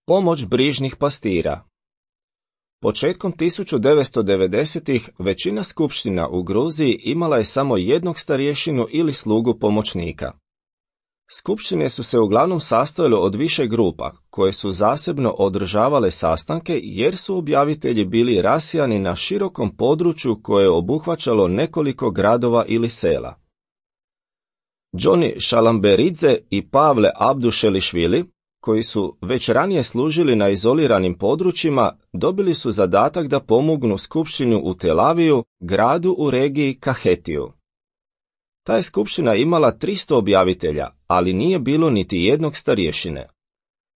Pomoć brižnih pastira. Početkom 1990-ih većina skupština u Gruziji imala je samo jednog starješinu ili slugu pomoćnika. Skupštine su se uglavnom sastojale od više grupa, koje su zasebno održavale sastanke jer su objavitelji bili rasijani na širokom području koje je obuhvaćalo nekoliko gradova ili sela. Johnny Šalamberidze i Pavle Abdušelišvili, koji su već ranije služili na izoliranim područjima, dobili su zadatak da pomognu skupštinu u Tel Aviju, gradu u regiji Kahetiju. Ta je skupština imala 300 objavitelja, ali nije bilo niti jednog starješine.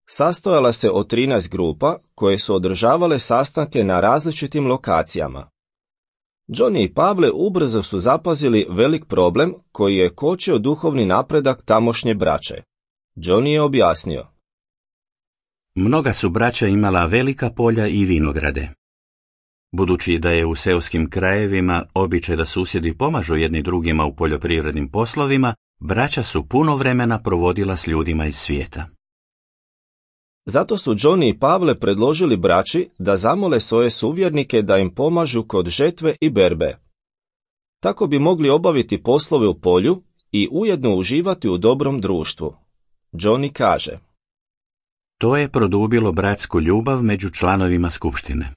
Sastojala se od 13 grupa koje su održavale sastanke na različitim lokacijama. Johnny i Pavle ubrzo su zapazili velik problem koji je kočio duhovni napredak tamošnje braće. Johnny je objasnio. Mnoga su braća imala velika polja i vinograde. Budući da je u seoskim krajevima običaj da susjedi pomažu jedni drugima u poljoprivrednim poslovima, braća su puno vremena provodila s ljudima iz svijeta. Zato su Johnny i Pavle predložili braći da zamole svoje suvjernike da im pomažu kod žetve i berbe. Tako bi mogli obaviti poslove u polju i ujedno uživati u dobrom društvu. Johnny kaže. To je produbilo bratsku ljubav među članovima skupštine.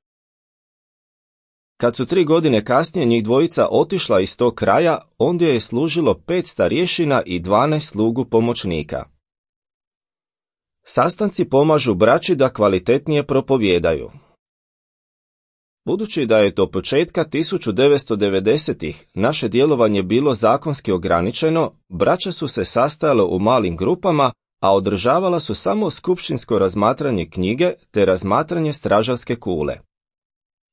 Kad su 3 godine kasnije njih dvojica otišla iz tog kraja, ondje je služilo 5 starješina i 12 slugu pomoćnika. Sastanci pomažu braći da kvalitetnije propovijedaju. Budući da je do početka 1990-ih naše djelovanje bilo zakonski ograničeno, braća su se sastajala u malim grupama, a održavala su samo skupštinsko razmatranje knjige te razmatranje stražarske kule.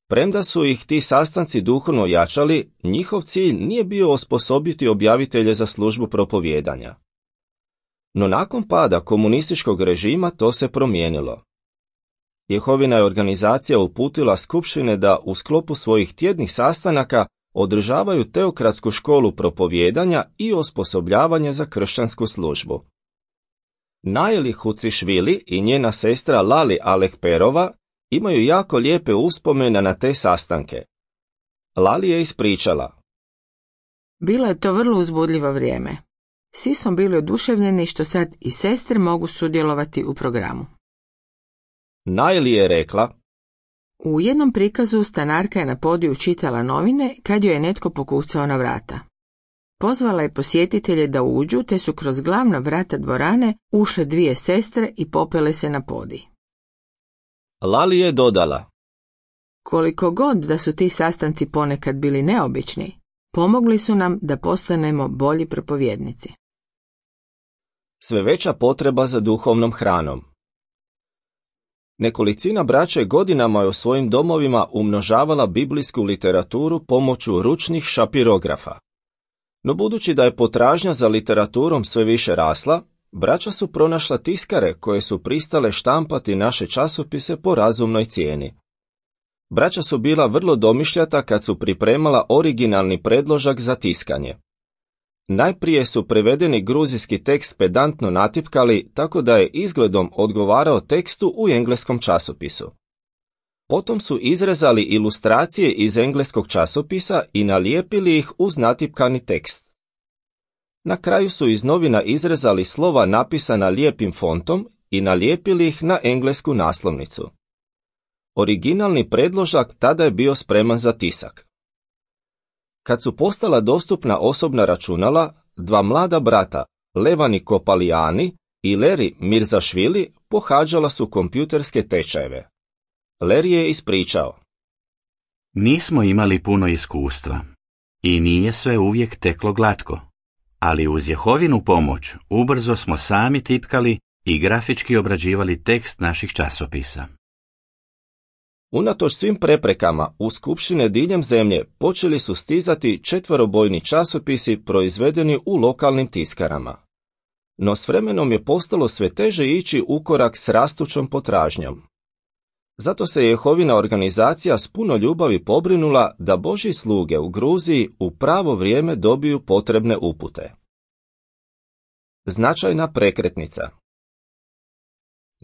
Premda su ih ti sastanci duhovno jačali, njihov cilj nije bio osposobiti objavitelje za službu propovijedanja. No nakon pada komunističkog režima to se promijenilo. Jehovina je organizacija uputila skupštine da u sklopu svojih tjednih sastanaka održavaju teokratsku školu propovijedanja i osposobljavanje za kršćansku službu. Naili Hucišvili i njena sestra Lali Alekperova imaju jako lijepe uspomene na te sastanke. Lali je ispričala. Bilo je to vrlo uzbudljivo vrijeme. Svi smo bili oduševljeni što sad i sestre mogu sudjelovati u programu. Naili je rekla. U jednom prikazu stanarka je na podiju čitala novine kad joj je netko pokucao na vrata. Pozvala je posjetitelje da uđu, te su kroz glavna vrata dvorane ušle 2 sestre i popele se na podij. Lali je dodala. Koliko god da su ti sastanci ponekad bili neobični, pomogli su nam da postanemo bolji propovjednici. Sve veća potreba za duhovnom hranom. Nekolicina braće godinama je u svojim domovima umnožavala biblijsku literaturu pomoću ručnih šapirografa. No budući da je potražnja za literaturom sve više rasla, braća su pronašla tiskare koje su pristale štampati naše časopise po razumnoj cijeni. Braća su bila vrlo domišljata kad su pripremala originalni predložak za tiskanje. Najprije su prevedeni gruzijski tekst pedantno natipkali tako da je izgledom odgovarao tekstu u engleskom časopisu. Potom su izrezali ilustracije iz engleskog časopisa i nalijepili ih uz natipkani tekst. Na kraju su iz novina izrezali slova napisana lijepim fontom i nalijepili ih na englesku naslovnicu. Originalni predložak tada je bio spreman za tisak. Kad su postala dostupna osobna računala, 2 mlada brata, Levani Kopalijani i Leri Mirzašvili, pohađala su kompjuterske tečajeve. Leri je ispričao. Nismo imali puno iskustva i nije sve uvijek teklo glatko, ali uz Jehovinu pomoć ubrzo smo sami tipkali i grafički obrađivali tekst naših časopisa. Unatoč svim preprekama, u skupštine diljem zemlje počeli su stizati 4-bojni časopisi proizvedeni u lokalnim tiskarama. No s vremenom je postalo sve teže ići u korak s rastućom potražnjom. Zato se Jehovina organizacija s puno ljubavi pobrinula da Božji sluge u Gruziji u pravo vrijeme dobiju potrebne upute. Značajna prekretnica.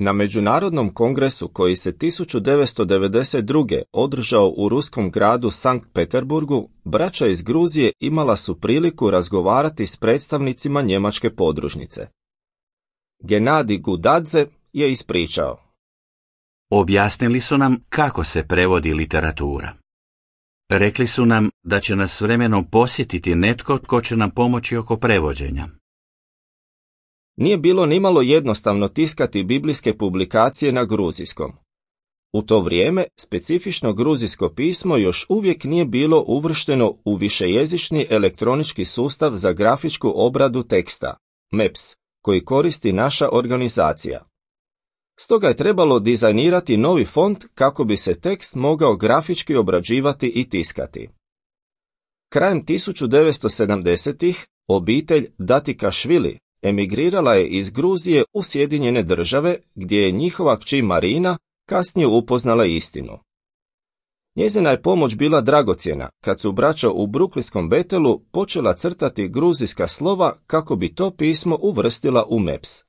Na Međunarodnom kongresu koji se 1992. održao u ruskom gradu Sankt Peterburgu, braća iz Gruzije imala su priliku razgovarati s predstavnicima njemačke podružnice. Genadi Gudadze je ispričao. Objasnili su nam kako se prevodi literatura. Rekli su nam da će nas vremenom posjetiti netko tko će nam pomoći oko prevođenja. Nije bilo nimalo jednostavno tiskati biblijske publikacije na gruzijskom. U to vrijeme specifično gruzijsko pismo još uvijek nije bilo uvršteno u višejezični elektronički sustav za grafičku obradu teksta, MEPS, koji koristi naša organizacija. Stoga je trebalo dizajnirati novi font kako bi se tekst mogao grafički obrađivati i tiskati. Krajem 1970-ih obitelj Datikašvili emigrirala je iz Gruzije u Sjedinjene Države, gdje je njihova kći Marina kasnije upoznala istinu. Njezina je pomoć bila dragocjena kad su braća u bruklinskom Betelu počela crtati gruzijska slova kako bi to pismo uvrstila u MEPS.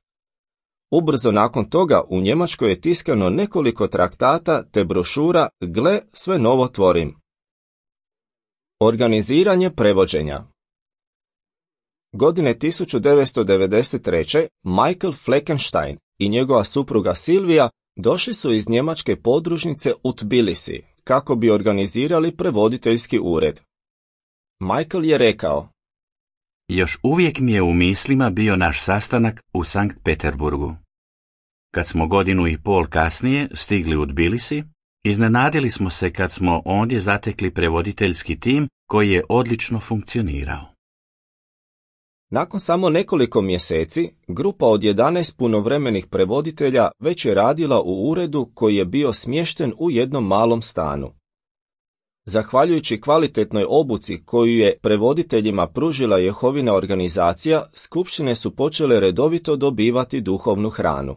Ubrzo nakon toga u Njemačkoj je tiskano nekoliko traktata te brošura Gle, sve novo tvorim. Organiziranje prevođenja. Godine 1993. Michael Fleckenstein i njegova supruga Silvija došli su iz njemačke podružnice u Tbilisi kako bi organizirali prevoditeljski ured. Michael je rekao: Još uvijek mi je u mislima bio naš sastanak u Sankt Peterburgu. Kad smo 1.5 godine kasnije stigli u Tbilisi, iznenadili smo se kad smo ondje zatekli prevoditeljski tim koji je odlično funkcionirao. Nakon samo nekoliko mjeseci, grupa od 11 punovremenih prevoditelja već je radila u uredu koji je bio smješten u jednom malom stanu. Zahvaljujući kvalitetnoj obuci koju je prevoditeljima pružila Jehovina organizacija, skupštine su počele redovito dobivati duhovnu hranu.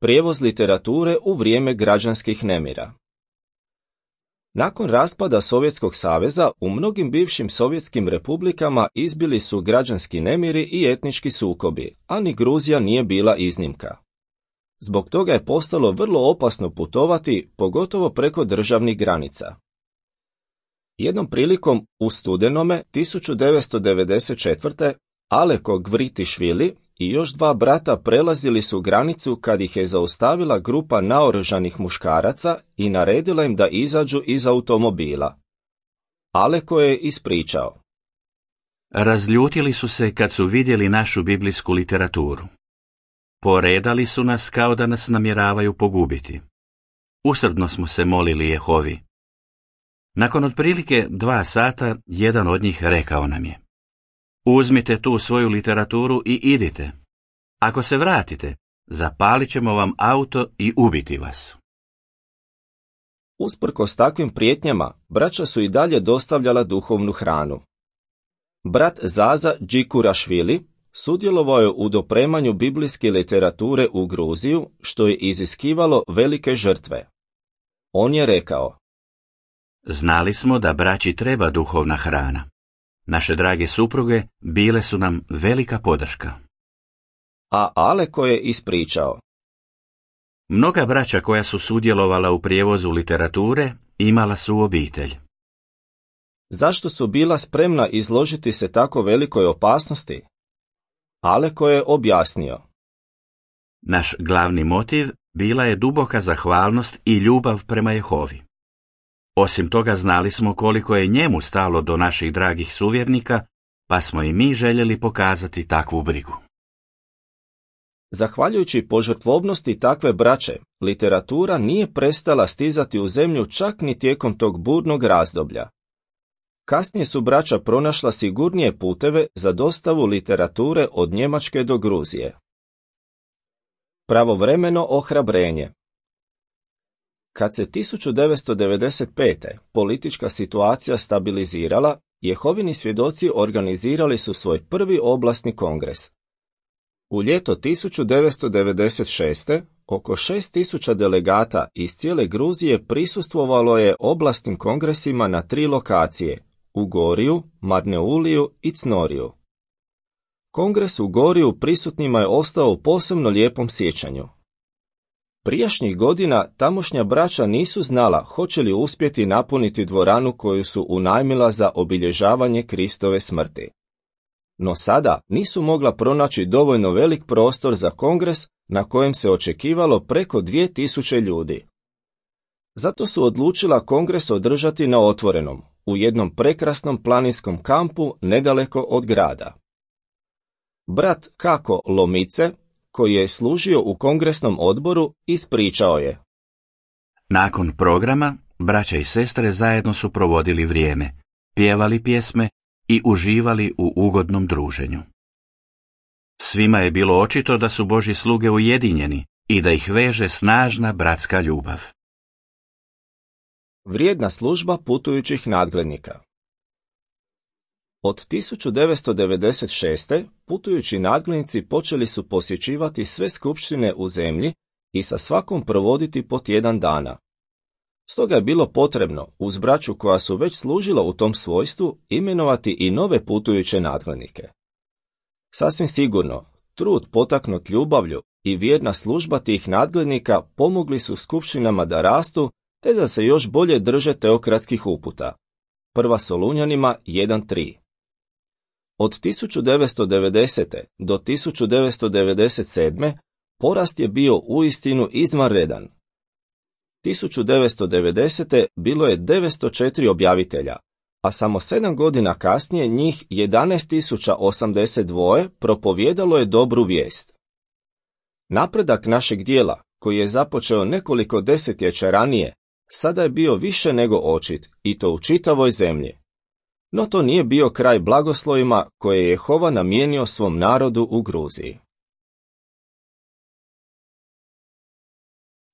Prijevoz literature u vrijeme građanskih nemira. Nakon raspada Sovjetskog saveza, u mnogim bivšim sovjetskim republikama izbili su građanski nemiri i etnički sukobi, a ni Gruzija nije bila iznimka. Zbog toga je postalo vrlo opasno putovati, pogotovo preko državnih granica. Jednom prilikom u studenome 1994. Aleko Gvritišvili i još 2 brata prelazili su granicu kad ih je zaustavila grupa naoružanih muškaraca i naredila im da izađu iz automobila. Aleko je ispričao. Razljutili su se kad su vidjeli našu biblijsku literaturu. Poredali su nas kao da nas namjeravaju pogubiti. Usrdno smo se molili Jehovi. Nakon otprilike 2 sata, jedan od njih rekao nam je: Uzmite tu svoju literaturu i idite. Ako se vratite, zapalit ćemo vam auto i ubiti vas. Usprkos takvim prijetnjama, braća su i dalje dostavljala duhovnu hranu. Brat Zaza Džikurašvili sudjelovao je u dopremanju biblijske literature u Gruziju, što je iziskivalo velike žrtve. On je rekao: Znali smo da braći treba duhovna hrana. Naše drage supruge bile su nam velika podrška. A Aleko je ispričao. Mnoga braća koja su sudjelovala u prijevozu literature imala su obitelj. Zašto su bila spremna izložiti se tako velikoj opasnosti? Aleko je objasnio. Naš glavni motiv bila je duboka zahvalnost i ljubav prema Jehovi. Osim toga znali smo koliko je njemu stalo do naših dragih suvjernika, pa smo i mi željeli pokazati takvu brigu. Zahvaljujući požrtvovnosti takve braće, literatura nije prestala stizati u zemlju čak ni tijekom tog burnog razdoblja. Kasnije su braća pronašla sigurnije puteve za dostavu literature od Njemačke do Gruzije. Pravovremeno ohrabrenje. Kad se 1995. politička situacija stabilizirala, Jehovini svjedoci organizirali su svoj prvi oblasni kongres. U ljeto 1996. oko 6.000 delegata iz cijele Gruzije prisustvovalo je oblastnim kongresima na 3 lokacije, u Goriju, Marneuliju i Cnoriju. Kongres u Goriju prisutnima je ostao u posebno lijepom sjećanju. Prijašnjih godina tamošnja braća nisu znala hoće li uspjeti napuniti dvoranu koju su unajmila za obilježavanje Kristove smrti. No sada nisu mogla pronaći dovoljno velik prostor za kongres na kojem se očekivalo preko 2000 ljudi. Zato su odlučila kongres održati na otvorenom, u jednom prekrasnom planinskom kampu nedaleko od grada. Brat Kako Lomice, koji je služio u kongresnom odboru, ispričao je: Nakon programa, braća i sestre zajedno su provodili vrijeme, pjevali pjesme i uživali u ugodnom druženju. Svima je bilo očito da su Božji sluge ujedinjeni i da ih veže snažna bratska ljubav. Vrijedna služba putujućih nadglednika. Od 1996. putujući nadglednici počeli su posjećivati sve skupštine u zemlji i sa svakom provoditi po tjedan dana. Stoga je bilo potrebno, uz braću koja su već služila u tom svojstvu, imenovati i nove putujuće nadglednike. Sasvim sigurno, trud potaknut ljubavlju i vjerna služba tih nadglednika pomogli su skupštinama da rastu te da se još bolje drže teokratskih uputa. 1. Solunjanima 1.3. Od 1990. do 1997. porast je bio uistinu izvanredan. 1990. bilo je 904 objavitelja, a samo 7 godina kasnije njih 11.082 propovijedalo je dobru vijest. Napredak našeg dijela, koji je započeo nekoliko desetljeća ranije, sada je bio više nego očit, i to u čitavoj zemlji. No to nije bio kraj blagoslovima koje je Jehova namijenio svom narodu u Gruziji.